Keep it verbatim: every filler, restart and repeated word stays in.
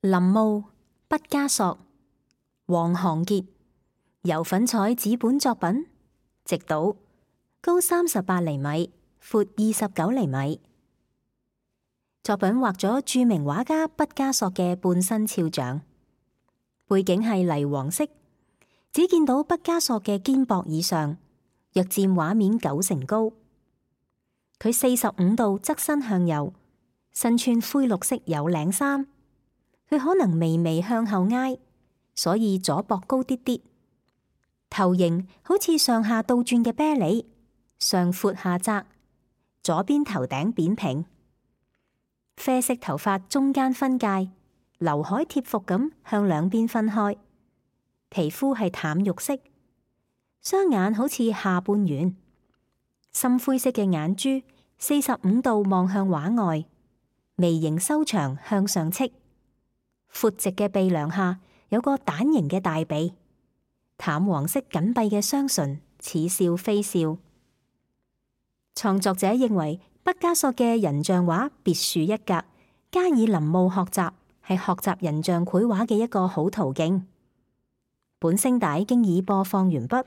林霧畢加索，黃航傑，油粉彩紙本作品，直島，高三十八厘米，闊二十九厘米。作品畫咗著名畫家畢加索嘅半身肖像，背景係泥黃色，只見到畢加索嘅肩膊以上，約佔畫面九成高。佢四十五度側身向右，身穿灰綠色有領衫。佢可能微微向後挨，所以左膊高啲啲。頭型好似上下倒轉嘅啤梨，上闊下窄，左邊頭頂扁平。啡色頭髮中間分界，劉海貼服咁向兩邊分開。皮膚係淡肉色，雙眼好似下半圓，深灰色嘅眼珠四十五度望向畫外，眉形修長向上戚。闊直嘅鼻梁下有個蛋形嘅大鼻，淡黃色緊閉嘅雙唇似笑非笑。創作者認為畢加索嘅人像畫別樹一格，加以臨摹學習，係學習人像繪畫嘅一個好途徑。本聲帶經已播放完畢。